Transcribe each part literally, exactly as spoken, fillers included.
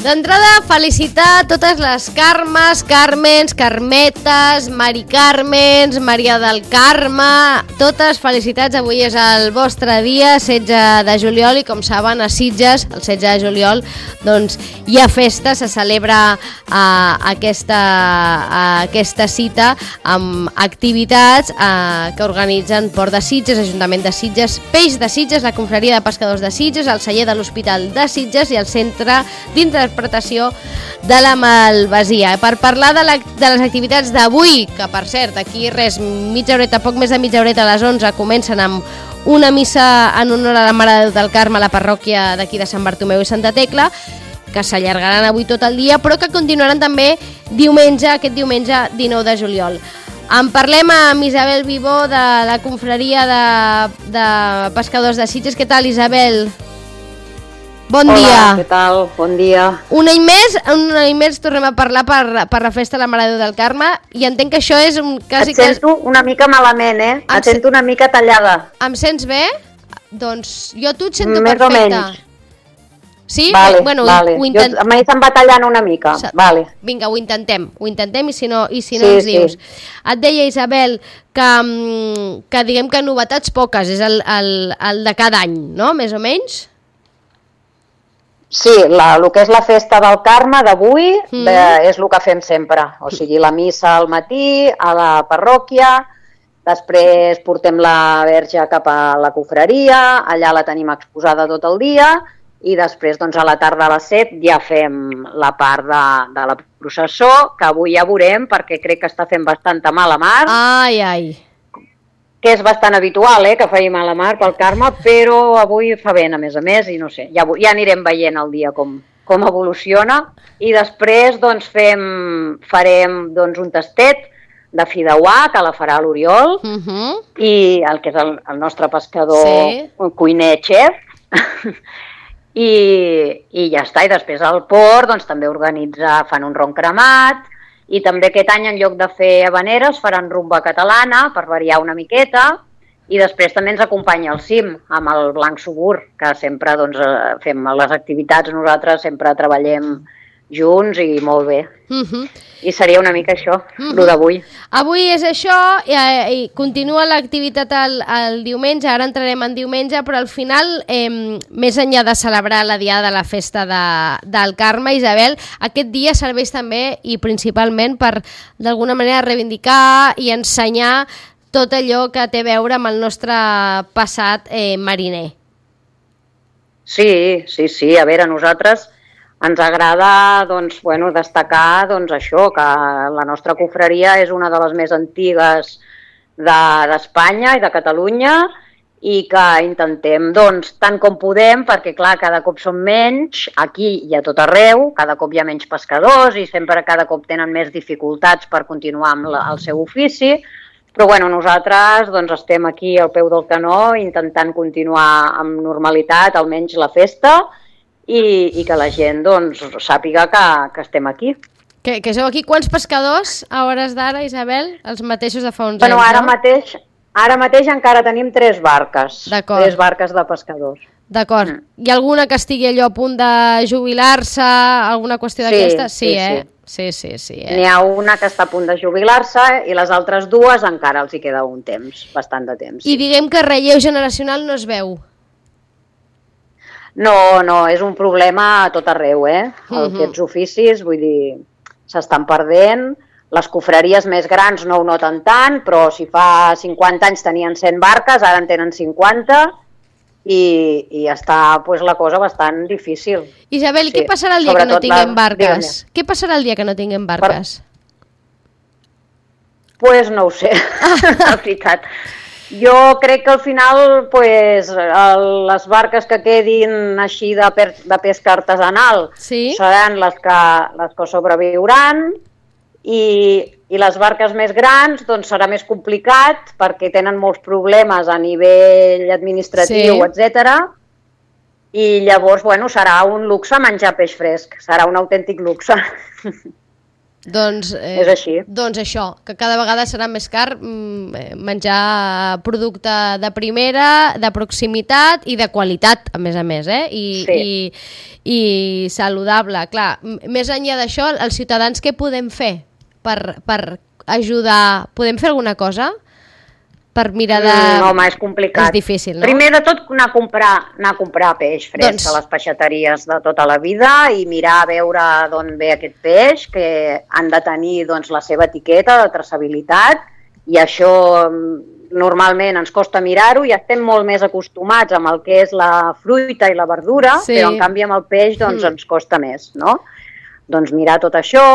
D'entrada, felicitar totes les Carmes, Carmens, Carmetes, Mari Carmens, Maria del Carme, totes felicitats. Avui és el vostre dia, setze de juliol, i com saben, a Sitges, el setze de juliol, doncs hi ha festa, se celebra uh, aquesta, uh, aquesta cita amb activitats uh, que organitzen Port de Sitges, Ajuntament de Sitges, Peix de Sitges, la Confraria de Pescadors de Sitges, el celler de l'Hospital de Sitges i el Centre d'interpretació de la Malvasia. Per parlar de, la, de les activitats d'avui, que per cert, aquí res, mitja horeta, poc més de mitja horeta, a les onze, comencen amb una missa en honor a la Mare de Déu del Carme a la parròquia d'aquí de Sant Bartomeu i Santa Tecla, que s'allargaran avui tot el dia, però que continuaran també diumenge, aquest diumenge dinou de juliol. En parlem amb Isabel Vivó, de la Confraria de, de Pescadors de Sitges. Què tal, Isabel? Bon Hola, dia. Què tal? Bon dia. Un any més, un any més tornem a parlar per, per la festa de la Mare de Déu del Carme, i entenc que això és un... Quasi, Et sento una mica malament, eh? Em Et sento una mica tallada. Em sents bé? Doncs jo a tu et sento Més perfecte. o menys. Sí? Vale, bueno, vale. Ho intent... Jo, a mi se'm va tallant una mica. Vale. Vinga, ho intentem, ho intentem i si no, i si no Sí, ens dius. sí. Et deia, Isabel, que, mm, que diguem que novetats poques, és el, el, el de cada any, no? Més o menys? Sí, la, el que és la festa del Carme d'avui Mm. de, és el que fem sempre. O sigui, la missa al matí, a la parròquia, després portem la verge cap a la confraria, allà la tenim exposada tot el dia, i després doncs, a la tarda a les set ja fem la part de, de la processó, que avui ja veurem perquè crec que està fent bastanta mala mar. Ai, ai. Que és bastant habitual, eh, que faci mala mar pel Carme, però avui fa vent, a més a més, i no sé, ja, ja anirem veient el dia com, com evoluciona. I després doncs, fem, farem doncs, un tastet de fideuà, que la farà l'Oriol, Uh -huh. i el que és el, el nostre pescador, Sí. un cuiner xef, i, i ja està. I després al port doncs, també organitza, fan un ron cremat, i també aquest any, en lloc de fer habaneres, faran rumba catalana per variar una miqueta, i després també ens acompanya el cim amb el Blanc Subur, que sempre doncs, fem les activitats, nosaltres sempre treballem junts i molt bé. Uh -huh. I seria una mica això, Uh -huh. el d'avui. Avui és això, i, i continua l'activitat el, el diumenge, ara entrarem en diumenge, però al final, eh, més enllà de celebrar la diada de la festa de, del Carme, Isabel, aquest dia serveix també i principalment per, d'alguna manera, reivindicar i ensenyar tot allò que té a veure amb el nostre passat eh, mariner. Sí, sí, sí, a veure, nosaltres ens agrada doncs, bueno, destacar doncs, això, que la nostra confraria és una de les més antigues d'Espanya de, i de Catalunya, i que intentem, doncs, tant com podem, perquè, clar, cada cop són menys, aquí i a tot arreu, cada cop hi ha menys pescadors i sempre cada cop tenen més dificultats per continuar amb la, el seu ofici, però, bueno, nosaltres doncs, estem aquí al peu del canó intentant continuar amb normalitat, almenys la festa, i, i que la gent doncs, sàpiga que, que estem aquí. Que, que sou aquí quants pescadors a hores d'ara, Isabel? Els mateixos de fa uns bueno, anys, ara no? mateix, ara mateix encara tenim tres barques, tres barques de pescadors. D'acord. Mm. Hi ha alguna que estigui allò a punt de jubilar-se, alguna qüestió d'aquesta? Sí, sí, sí, eh? Sí, sí, sí. Eh? N'hi ha una que està a punt de jubilar-se i les altres dues encara els hi queda un temps, bastant de temps. Sí. I diguem que relleu generacional no es veu. No, no, és un problema a tot arreu, eh? Uh -huh. Aquests oficis, vull dir, s'estan perdent. Les confraries més grans no ho noten tant, però si fa cinquanta anys tenien cent barques, ara en tenen cinquanta, i, i està pues, la cosa bastant difícil. Isabel, sí. Què passarà el dia Sobretot que no tinguem la... barques? Què passarà el dia que no tinguem barques? Per... Pues no ho sé, la veritat. Jo crec que al final pues, el, les barques que quedin així de, per, de pesca artesanal sí? seran les que, les que sobreviuran, i, i les barques més grans doncs, serà més complicat perquè tenen molts problemes a nivell administratiu, sí. etcètera. I llavors bueno, serà un luxe menjar peix fresc, serà un autèntic luxe. Doncs, eh, és així. Doncs això, que cada vegada serà més car mm, menjar producte de primera, de proximitat i de qualitat, a més a més, eh? I, sí. i, i saludable. Clar, més enllà d'això, els ciutadans què podem fer per, per ajudar? Podem fer alguna cosa? Per mirar de... No, home, és complicat. És difícil, no? Primer de tot, anar a comprar, anar a comprar peix fresc doncs... a les peixateries de tota la vida i mirar a veure d'on ve aquest peix, que han de tenir doncs, la seva etiqueta de traçabilitat, i això normalment ens costa mirar-ho i estem molt més acostumats amb el que és la fruita i la verdura, sí. Però en canvi amb el peix doncs, mm. ens costa més, no? Doncs mirar tot això...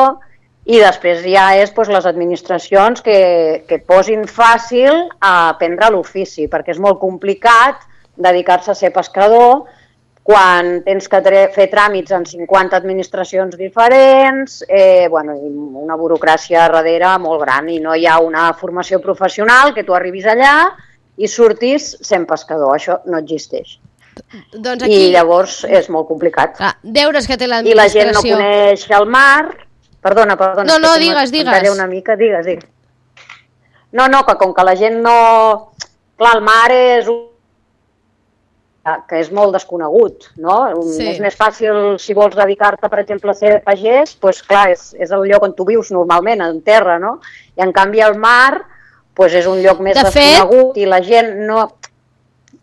I després ja és doncs, les administracions que, que posin fàcil a aprendre l'ofici, perquè és molt complicat dedicar-se a ser pescador quan tens que fer tràmits en cinquanta administracions diferents, eh, bueno, una burocràcia darrere molt gran i no hi ha una formació professional que tu arribis allà i surtis sent pescador. Això no existeix. Doncs aquí... I llavors és molt complicat. Ah, deures que té l'administració. I la gent no coneix el mar... Perdona, perdona. No, no, digues, digues. Una mica, digues, digues. No, no, que com que la gent no... Clar, el mar és un... que és molt desconegut, no? Sí. És més fàcil, si vols dedicar-te, per exemple, a ser pagès, doncs clar, és, és el lloc on tu vius normalment, en terra, no? I en canvi el mar doncs és un lloc més de desconegut fet... i la gent no...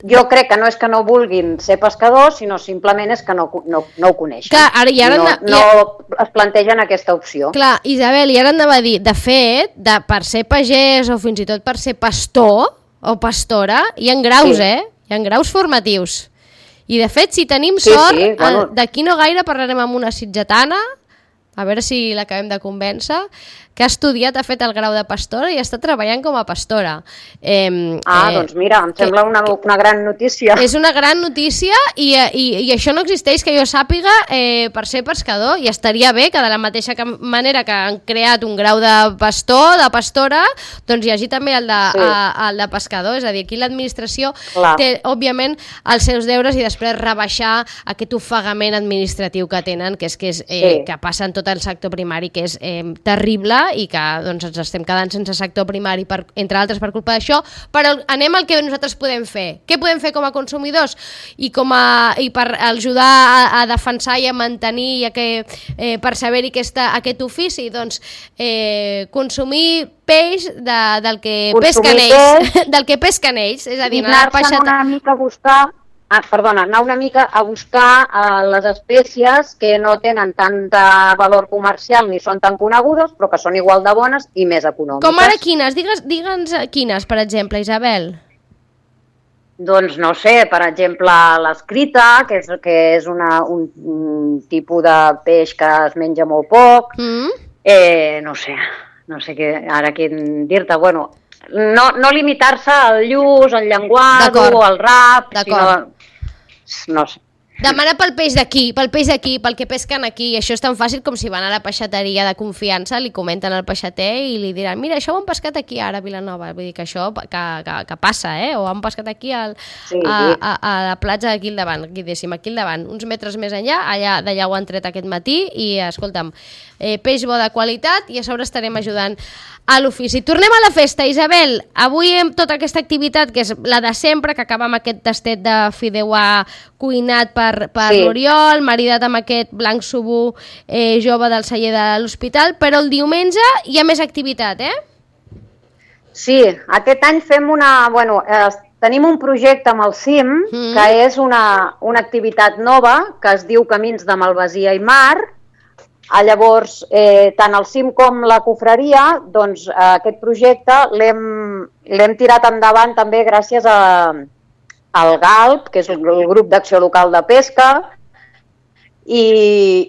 Jo crec que no és que no vulguin ser pescadors, sinó simplement és que no, no, no ho coneixen. Clar, ara, i ara no, no, no es plantegen aquesta opció. Clar, Isabel, i ara anava a dir, de fet, de, per ser pagès o fins i tot per ser pastor o pastora, hi ha graus, sí. eh? Hi ha graus formatius. I de fet, si tenim sí, sort, sí, bueno. d'aquí no gaire parlarem amb una sitgetana, a veure si l'acabem de convèncer, que ha estudiat, ha fet el grau de pastora i està treballant com a pastora. Eh, ah, eh, doncs mira, em sembla una, una gran notícia. És una gran notícia i, i, i això no existeix, que jo sàpiga, eh, per ser pescador, i estaria bé que de la mateixa manera que han creat un grau de pastor, de pastora, doncs hi hagi també el de, sí. a, el de pescador. És a dir, aquí l'administració té, òbviament, els seus deures i després rebaixar aquest ofegament administratiu que tenen, que és que, és, eh, sí. que passa en tot el sector primari, que és eh, terrible, i que doncs, ens estem quedant sense sector primari, per, entre altres per culpa d'això, però anem al que nosaltres podem fer. Què podem fer com a consumidors i, com a, i per ajudar a, a defensar i a mantenir i a que, eh, per saber-hi aquesta, aquest ofici? Doncs eh, consumir peix de, del que consumir pesquen ells, peix, del que pesquen ells, és a dir, anar-se'n una mica a buscar Ah, perdona, anar una mica a buscar uh, les espècies que no tenen tant valor comercial ni són tan conegudes, però que són igual de bones i més econòmiques. Com ara quines? Digues, digue'ns quines, per exemple, Isabel. Doncs no sé, per exemple, l'escrita, que és, que és una, un, un tipus de peix que es menja molt poc. Mm. Eh, no sé, no sé què, ara què dir-te, bueno... No, no limitar-se al lluç, al llenguado o al rap, sinó... No sé. Demana pel peix d'aquí, pel peix d'aquí, pel que pesquen aquí. I això és tan fàcil com si van a la peixateria de confiança, li comenten al peixater i li diran, mira, això ho han pescat aquí ara a Vilanova. Vull dir que això que, que, que passa, eh? O han pescat aquí al, sí, a, a, a la platja d'aquí al davant, aquí, diguéssim, aquí al davant, uns metres més enllà, allà d'allà ho han tret aquest matí i, escolta'm, eh, peix bo de qualitat i a sobre estarem ajudant a l'ofici. Tornem a la festa, Isabel. Avui amb tota aquesta activitat, que és la de sempre, que acaba amb aquest tastet de fideuà cuinat per, per sí. l'Oriol, maridat amb aquest blanc subú eh, jove del celler de l'hospital, però el diumenge hi ha més activitat, eh? Sí, aquest any fem una... Bueno, eh, tenim un projecte amb el C I M, mm. que és una, una activitat nova, que es diu Camins de Malvasia i Mar. Ah, llavors, eh, tant el C I M com la confraria, doncs eh, aquest projecte l'hem tirat endavant també gràcies a, al GALP, que és el, el grup d'acció local de pesca, i,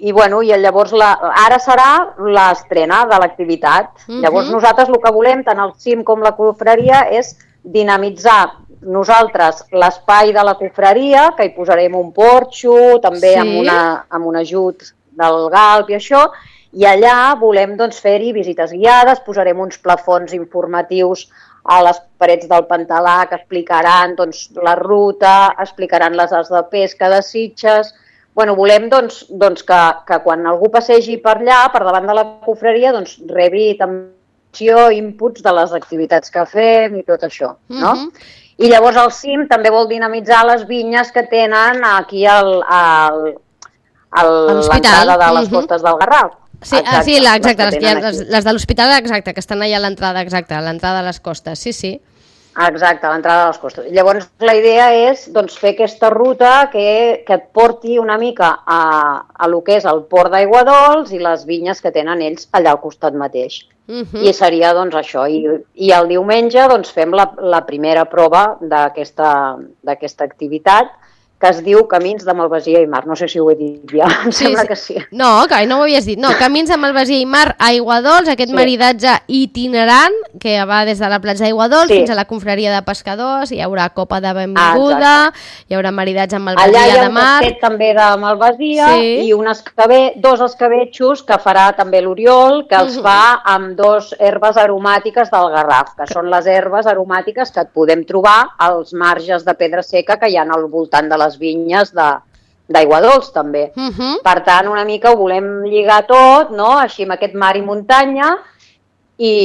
i, bueno, i llavors la, ara serà l'estrena de l'activitat. Mm-hmm. Llavors nosaltres el que volem, tant el C I M com la confraria, és dinamitzar nosaltres l'espai de la confraria, que hi posarem un porxo, també sí. amb, una, amb un ajut del GALP i això, i allà volem doncs, fer-hi visites guiades, posarem uns plafons informatius a les parets del Pantalà que explicaran doncs, la ruta, explicaran les arts de pesca de Sitges, bueno, volem doncs, doncs que, que quan algú passegi per allà, per davant de la confraria, doncs rebi també inputs de les activitats que fem i tot això, no? Uh-huh. I llavors el C I M també vol dinamitzar les vinyes que tenen aquí al, al, al, l'entrada de les uh-huh. costes del Garraf. Sí, exacte, ah, sí la, exacte, les, les, les, les de l'hospital, exacte, que estan allà a l'entrada, exacte, a l'entrada de les costes, sí, sí. Exacte, a l'entrada de les costes. Llavors la idea és doncs, fer aquesta ruta que, que et porti una mica a, a lo que és el port d'Aiguadols i les vinyes que tenen ells allà al costat mateix. Uh-huh. I seria doncs això. I, i el diumenge doncs, fem la, la primera prova d'aquesta d'aquesta activitat, que es diu Camins de Malvasia i Mar. No sé si ho he dit ja, em sí, sembla sí. que sí. No, que no ho havies dit. No, Camins de Malvasia i Mar a Aiguadols, aquest sí. maridatge itinerant que va des de la platja d'Aiguadols sí. fins a la confraria de pescadors, hi haurà copa de benvinguda, ah, hi haurà maridatge amb Malvasia de Mar. Allà hi ha un tastet també de Malvasia sí. i un escabé, dos escabetxos que farà també l'Oriol, que els uh-huh. fa amb dos herbes aromàtiques del Garraf, que són les herbes aromàtiques que et podem trobar als marges de pedra seca que hi ha al voltant de la les vinyes d'Aiguadols també. Uh-huh. Per tant, una mica ho volem lligar tot, no? Així amb aquest mar i muntanya i,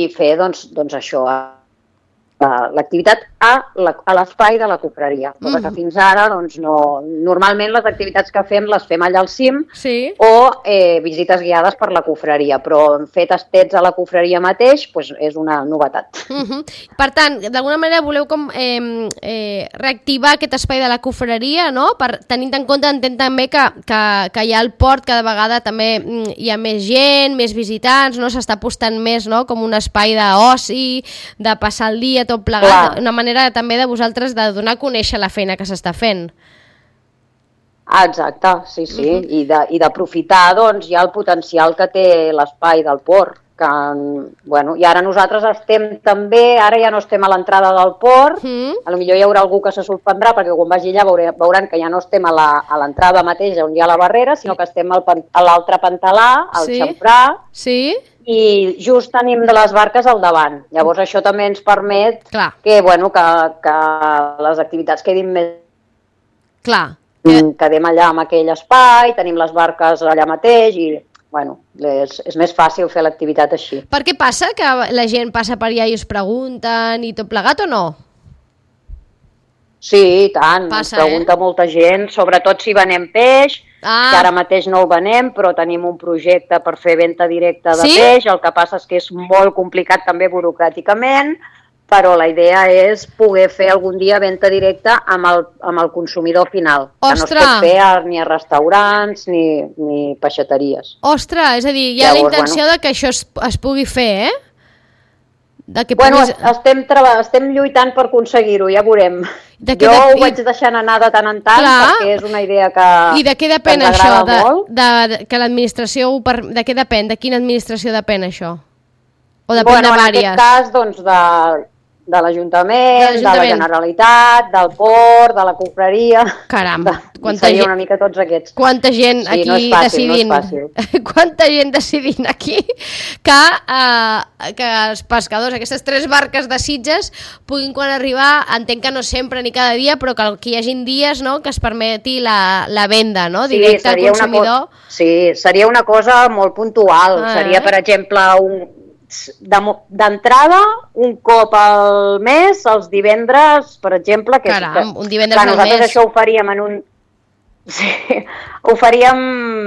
i fer doncs, doncs això, l'activitat a, la, a l'espai de la confraria. Cosa mm. que fins ara, doncs, no... Normalment les activitats que fem les fem allà al cim sí. o eh, visites guiades per la confraria, però fer tastets a la confraria mateix pues, és una novetat. Mm-hmm. Per tant, d'alguna manera voleu com eh, eh, reactivar aquest espai de la confraria, no? Per, tenint en compte, entenc també que, que, que hi ha el port, cada vegada també hi ha més gent, més visitants, no? S'està apostant més, no? Com un espai d'oci, de passar el dia, tot plegat, clar. Una manera també de vosaltres de donar a conèixer la feina que s'està fent. Ah, exacte, sí, sí, uh-huh. I, de, i d'aprofitar doncs, ja el potencial que té l'espai del port. Que, bueno, i ara nosaltres estem també, ara ja no estem a l'entrada del port, uh-huh. a lo millor hi haurà algú que se sorprendrà perquè quan vagi allà veure, veuran que ja no estem a, la, a l'entrada mateix on hi ha la barrera, sinó que estem al, a l'altre pantalà, al sí. xamfrà, sí. i just tenim de les barques al davant. Llavors això també ens permet Clar. que, bueno, que, que les activitats quedin més... Clar. Quedem allà en aquell espai, tenim les barques allà mateix i, bueno, és, és més fàcil fer l'activitat així. Per què passa? Que la gent passa per allà i us pregunten i tot plegat o no? Sí, i tant. Passa, ens pregunta eh? molta gent, sobretot si venem peix, ah. que ara mateix no el venem, però tenim un projecte per fer venda directa de sí? peix, el que passa és que és molt complicat també burocràticament, però la idea és poder fer algun dia venda directa amb el, amb el consumidor final, Ostres. que no es pot fer ni a restaurants ni, ni peixateries. Ostres, és a dir, hi ha Llavors, la intenció bueno, de que això es, es pugui fer, eh? De que bueno, puguis... estem, estem lluitant per aconseguir-ho, ja veurem. De jo de... ho vaig deixant anar de tant en tant, Clar. perquè és una idea que I de què depèn això? De, de, de, que l'administració... Per... De què depèn? De quina administració depèn això? O depèn bueno, de vàries? En aquest cas, doncs, de, de l'Ajuntament, de, de la Generalitat, del port, de la confraria... Caram, de, quanta seria gent... una mica tots aquests. Quanta gent sí, aquí no és fàcil, decidint... No és fàcil. Quanta gent decidint aquí que, uh, que els pescadors, aquestes tres barques de Sitges, puguin quan arribar, entenc que no sempre ni cada dia, però que, que hi hagin dies, no?, que es permeti la, la venda, no?, directa sí, al consumidor. Co- sí, seria una cosa molt puntual. Ah, seria, per exemple, un... d'entrada un cop al mes, els divendres, per exemple, que, Caram, que, un divendres que nosaltres al mes. això ho faríem en un... Sí, ho faríem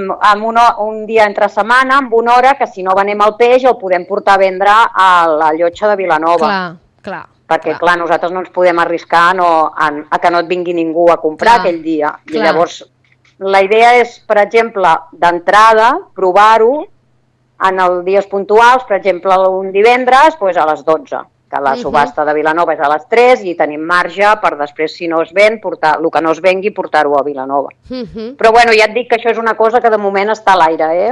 en un, un dia entre setmana, amb una hora, que si no venem el peix el podem portar a vendre a la llotja de Vilanova. Clar, clar. Perquè, clar, clar nosaltres no ens podem arriscar no, a, a que no et vingui ningú a comprar clar, aquell dia. I clar. Llavors, la idea és, per exemple, d'entrada, provar-ho en els dies puntuals, per exemple, un divendres, doncs a les dotze, que la subhasta de Vilanova és a les tres i tenim marge per després, si no es ven, portar el que no es vengui, portar-ho a Vilanova. Uh-huh. Però bueno, ja et dic que això és una cosa que de moment està a l'aire, eh?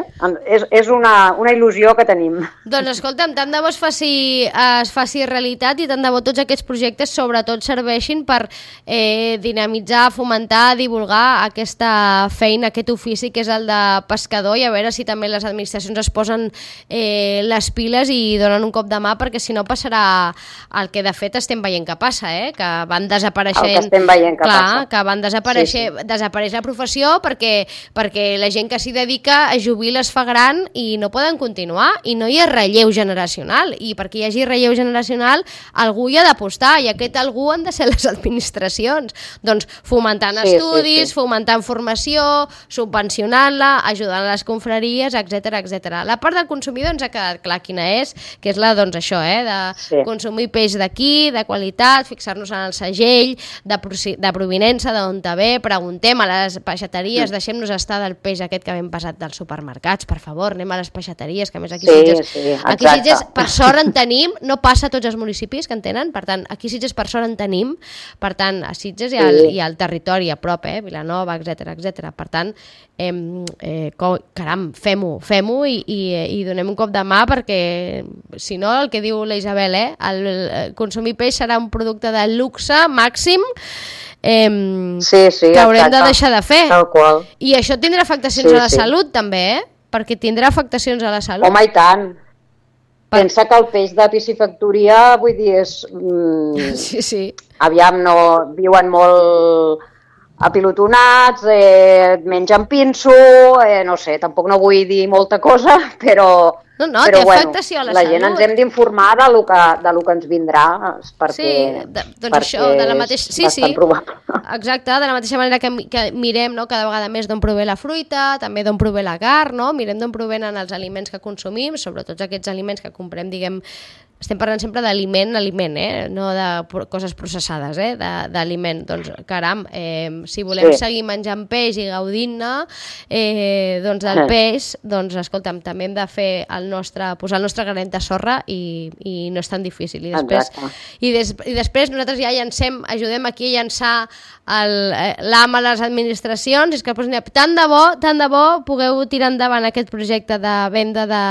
És, és una, una il·lusió que tenim. Doncs escolta'm, tant de bo es faci, es faci realitat i tant de bo tots aquests projectes sobretot serveixin per eh, dinamitzar, fomentar, divulgar aquesta feina, aquest ofici que és el de pescador i a veure si també les administracions es posen eh, les piles i donen un cop de mà perquè si no passarà el que de fet estem veient que passa, eh? Que van desapareixent... El que estem veient que clar, passa. Que van desaparèixer, sí, sí. desapareix la professió perquè, perquè la gent que s'hi dedica a jubila es fa gran i no poden continuar i no hi ha relleu generacional, i perquè hi hagi relleu generacional algú hi ha d'apostar, i aquest algú han de ser les administracions, doncs fomentant sí, estudis, sí, sí. fomentant formació, subvencionant-la, ajudant les confraries, etcètera, etcètera. La part del consumidor ens ha quedat clar quina és, que és la, doncs això, eh, de sí. consumir peix d'aquí, de qualitat, fixar-nos en el segell, de, de provinença, d'on te ve, preguntem a les peixateries, sí. deixem-nos estar del peix aquest que hem passat dels supermercats, per favor, anem a les peixateries, que a més aquí sí, Sitges, sí, aquí Sitges per sort en tenim, no passa a tots els municipis que en tenen, per tant, aquí Sitges per sort en tenim, per tant, a Sitges hi ha, sí. hi ha el territori a prop, eh, Vilanova, etcètera, etcètera. Per tant, eh, eh, caram, fem-ho, fem-ho i, i, i donem un cop de mà, perquè si no, el que diu la Isabel, eh, el, el consumir peix serà un producte de luxe màxim eh, sí, sí, que haurem exacte. de deixar de fer. Tal qual. I això tindrà afectacions sí, a la sí. salut també, eh? Perquè tindrà afectacions a la salut. Home, i tant. Per... Pensa que el peix de piscifactoria, vull dir, és... Mm, sí, sí. Aviam, no viuen molt apilotonats, eh, mengen pinso, eh, no sé, tampoc no vull dir molta cosa, però, no, no, però bueno, afectació a la, la salut. gent ens hem d'informar de lo que, de lo que ens vindrà, perquè, sí, de, doncs això, de la mateixa... sí, és bastant sí. probable. Exacte, de la mateixa manera que, que mirem, no, cada vegada més d'on prové la fruita, també d'on prové la carn, no? Mirem d'on provenen els aliments que consumim, sobretot aquests aliments que comprem, diguem, estem parlant sempre d'aliment, aliment, eh? No de coses processades, eh? D'aliment. Doncs, caram, eh, si volem sí. seguir menjant peix i gaudint-ne eh, doncs del peix, doncs, escolta'm, també hem de fer el nostre, posar el nostre granet de sorra i, i no és tan difícil. I després, i, des, i després nosaltres ja llancem, ajudem aquí a llançar l'A M a les administracions, és que doncs, tant de bo, tant de bo pugueu tirar endavant aquest projecte de venda de,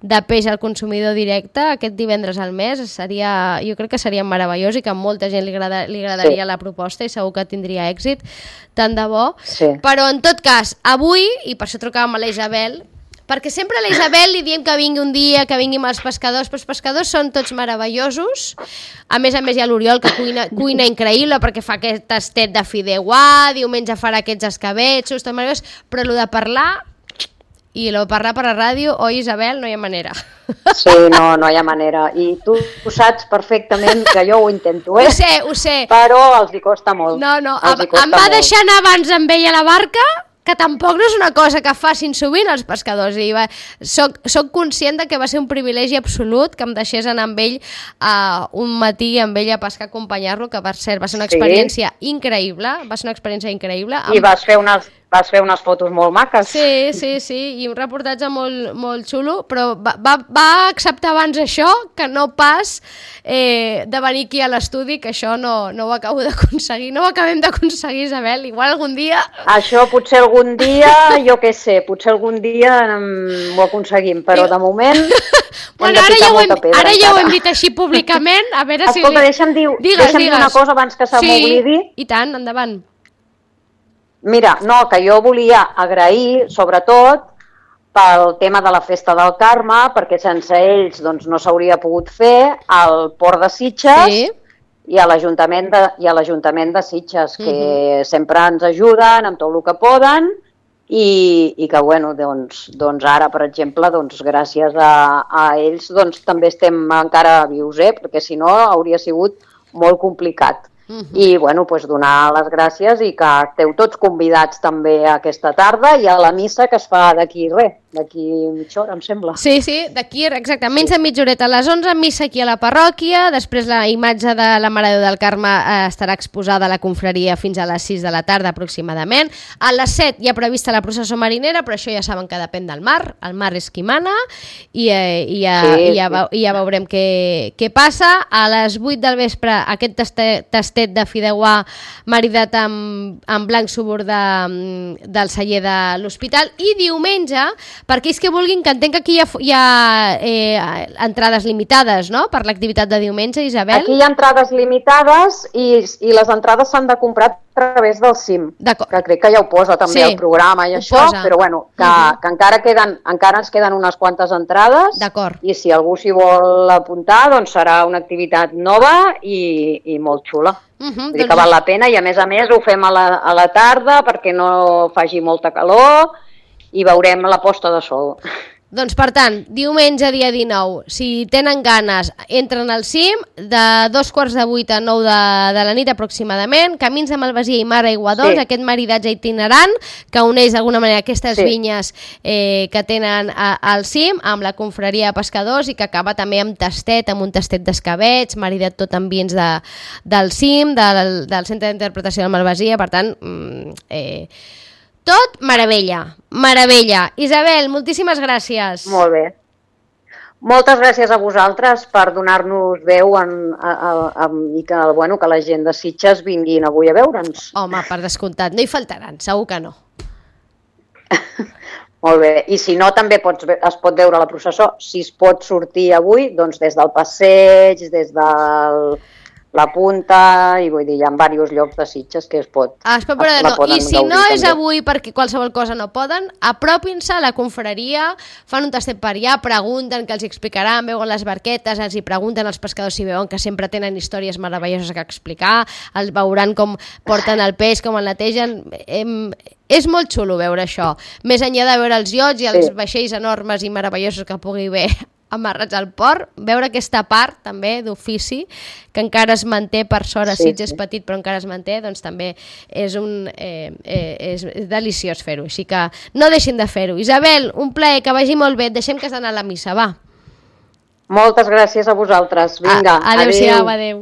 de peix al consumidor directe, aquest divendres al mes, seria, jo crec que seria meravellós i que a molta gent li, agrada, li agradaria sí. la proposta i segur que tindria èxit, tant de bo. Sí. Però en tot cas, avui, i per això trucàvem a la Isabel, perquè sempre a la Isabel li diem que vingui un dia, que vingui amb els pescadors, però els pescadors són tots meravellosos. A més a més hi ha l'Oriol, que cuina, cuina increïble, perquè fa aquest tastet de fideuà, diumenge farà aquests escabetxos, tot meravellós, però el de parlar... I el parlar per a ràdio, oi, Isabel, no hi ha manera. Sí, no, no hi ha manera. I tu ho saps perfectament, que jo ho intento, eh? Ho sé, ho sé. Però els hi costa molt. No, no, em va molt. deixar anar abans amb ell a la barca, que tampoc no és una cosa que facin sovint els pescadors. I va, soc, soc conscient de que va ser un privilegi absolut que em deixés anar amb ell uh, un matí amb ell a pescar, acompanyar-lo, que va ser, va ser una experiència sí. increïble, va ser una experiència increïble. I amb... vas fer unes... Vas fer unes fotos molt maques. Sí, sí, sí, i un reportatge molt, molt xulo, però va, va, va acceptar abans això que no pas eh, de venir aquí a l'estudi, que això no, no ho acabo d'aconseguir, no ho acabem d'aconseguir, Isabel, igual algun dia... Això potser algun dia, jo què sé, potser algun dia um, ho aconseguim, però de moment bueno, ara ja, hem, pedra, ara ja ho hem dit així públicament, a veure Escolta, si... Escolta, deixa'm dir, digues, deixa'm digues. dir una cosa abans que se sí, m'oblidi. I tant, endavant. Mira, no, que jo volia agrair, sobretot, pel tema de la Festa del Carme, perquè sense ells doncs, no s'hauria pogut fer, al Port de Sitges sí. i a l'Ajuntament de, i a l'Ajuntament de Sitges, que uh-huh. sempre ens ajuden amb tot el que poden i, i que, bueno, doncs, doncs ara, per exemple, doncs, gràcies a, a ells doncs, també estem encara vius, eh? Perquè si no hauria sigut molt complicat. Uh-huh. I bueno, pues donar les gràcies i que esteu tots convidats també aquesta tarda i a la missa que es fa d'aquí res, d'aquí mitja hora, em sembla. Sí, sí, d'aquí exacte, menys de mitja horeta. A les onze, missa aquí a la parròquia, després la imatge de la Mare de Déu del Carme eh, estarà exposada a la confraria fins a les sis de la tarda aproximadament. A les set hi ha prevista la processó marinera, però això ja saben que depèn del mar, el mar és qui mana i, eh, i, ja, sí, i, ja, sí. i ja veurem què, què passa. A les vuit del vespre aquest tastet, tastet de fideuà maridat amb, amb blanc subur de, del celler de l'hospital i diumenge per aquells que vulguin, que entenc que aquí hi ha, hi ha eh, entrades limitades, no?, per l'activitat de diumenge, Isabel? Aquí hi ha entrades limitades i, i les entrades s'han de comprar a través del C I M, que crec que ja ho posa també sí, el programa i això, posa. Però bueno, que, uh-huh. que encara, queden, encara ens queden unes quantes entrades i si algú s'hi vol apuntar, doncs serà una activitat nova i, i molt xula. Uh-huh, Vull dir doncs... que val la pena i a més a més ho fem a la, a la tarda perquè no faci molta calor i veurem la posta de sol. Doncs per tant, diumenge dia dinou, si tenen ganes, entren al C I M de dos quarts de vuit a nou de, de la nit aproximadament, camins de Malvasia i Mar Aigua Dols, sí. aquest maridatge itinerant que uneix d'alguna manera aquestes sí. vinyes eh, que tenen a, al C I M amb la confraria de pescadors i que acaba també amb tastet, amb un tastet d'escabets, maridat tot amb vins de, del C I M, del, del Centre d'Interpretació de Malvasia, per tant... Eh, tot meravella, meravella. Isabel, moltíssimes gràcies. Molt bé. Moltes gràcies a vosaltres per donar-nos veu en, a, a, a, i que, bueno, que la gent de Sitges vinguin avui a veure'ns. Home, per descomptat, no hi faltaran, segur que no. Molt bé, i si no també pots, es pot veure la processó. Si es pot sortir avui, doncs des del passeig, des del... la punta, i vull dir, hi ha diversos llocs de Sitges que es pot... Ah, es pot veure, no. I si no és avui perquè qualsevol cosa no poden, apropin-se a la confraria, fan un tastet per allà, pregunten, que els explicaran, veuen les barquetes, els hi pregunten als pescadors si veuen que sempre tenen històries meravelloses que explicar, els veuran com porten el peix, com el netegen... És molt xulo veure això, més enllà de veure els iots i els sí. vaixells enormes i meravellosos que pugui haver amarrats al port, veure aquesta part també d'ofici que encara es manté per sort a Sitges, sí, sí. petit però encara es manté, doncs també és, un, eh, eh, és deliciós fer-ho, així que no deixin de fer-ho. Isabel, un plaer, que vagi molt bé, deixem que has d'anar a la missa, va. Moltes gràcies a vosaltres, vinga, a, adéu-siau, adéu.